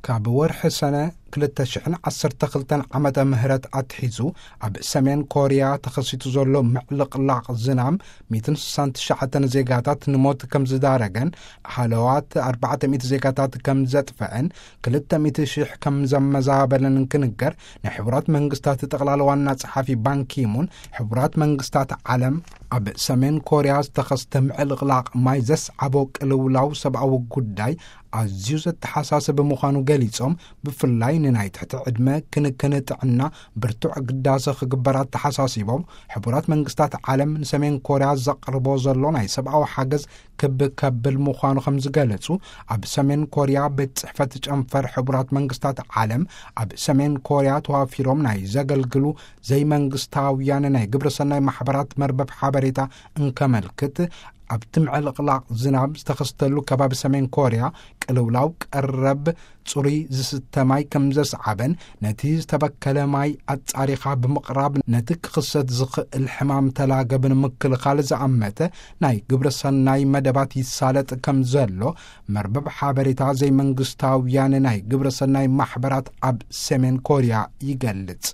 ካብ ወርሒ ሰነ ክልተ ሽሕን ዓሰርተ ክልተን ዓመተ ምህረት ኣትሒዙ ኣብ ሰሜን ኮርያ ተኸሲቱ ዘሎ ምዕልቕላቕ ዝናም ሚእትን ስሳን ትሽዓተን ዜጋታት ንሞት ከም ዝዳረገን ሃለዋት ኣርባዕተ ሚእቲ ዜጋታት ከም ዘጥፈአን ክልተ ሚእቲ ሽሕ ከም ዘመዛበለን እንትንገር፣ ናይ ሕቡራት መንግስታት ጠቕላላ ዋና ጸሓፊ ባንኪሙን ሕቡራት መንግስታት ዓለም ኣብ ሰሜን ኮርያ ዝተኸስተ ምዕልቕላቕ ማይ ዘስዓቦ ቅልውላው ሰብኣዊ ጉዳይ ኣዝዩ ዘተሓሳስብ ምዃኑ ገሊጾም፣ ብፍላይ ንናይ ትሕቲ ዕድመ ክንክን ጥዕና ብርቱዕ ግዳሰ ክግበር ኣተሓሳሲቦም፣ ሕቡራት መንግስታት ዓለም ንሰሜን ኮርያ ዘቕርቦ ዘሎ ናይ ሰብኣዊ ሓገዝ ክብ ከብል ምዃኑ ከም ዝገለጹ፣ ኣብ ሰሜን ኮርያ ቤት ጽሕፈት ጨንፈር ሕቡራት መንግስታት ዓለም ኣብ ሰሜን ኮርያ ተዋፊሮም ናይ ዘገልግሉ ዘይመንግስታውያን ናይ ግብረሰናይ ማሕበራት መርበብ ሓበሬታ እንከመልክት፣ ኣብቲ ምዕልቕላቕ ዝናብ ዝተኸስተሉ ከባቢ ሰሜን ኮርያ ቅልውላው ቀረብ ጽሩይ ዝስተ ማይ ከም ዘስዓበን፣ ነቲ ዝተበከለ ማይ ኣጻሪኻ ብምቕራብ ነቲ ክኽሰት ዝኽእል ሕማም ተላገብ ንምክልኻል ዝኣመተ ናይ ግብረሰናይ መደባት ይሳለጥ ከም ዘሎ መርበብ ሓበሬታ ዘይመንግስታውያን ናይ ግብረሰናይ ማሕበራት ኣብ ሰሜን ኮርያ ይገልጽ።